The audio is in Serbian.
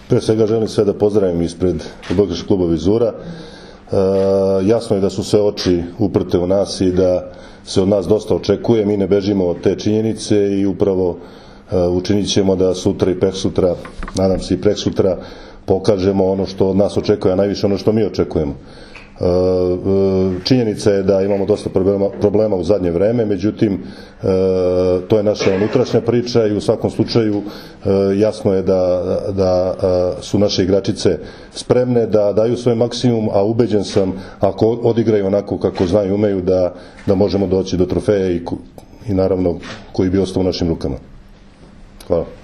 Pre svega želim sve da pozdravim ispred odbojkaškog kluba Vizura. Jasno je da su sve oči uprte u nas i da se od nas dosta očekuje. Mi ne bežimo od te činjenice i upravo učinit ćemo da sutra i preksutra, nadam se i preksutra, pokažemo ono što od nas očekuje, a najviše ono što mi očekujemo. Činjenica je da imamo dosta problema u zadnje vreme, međutim to je naša unutrašnja priča i u svakom slučaju jasno je da su naše igračice spremne da daju svoj maksimum, a ubeđen sam ako odigraju onako kako znaju i umeju da možemo doći do trofeja i naravno koji bi ostao u našim rukama. Hvala.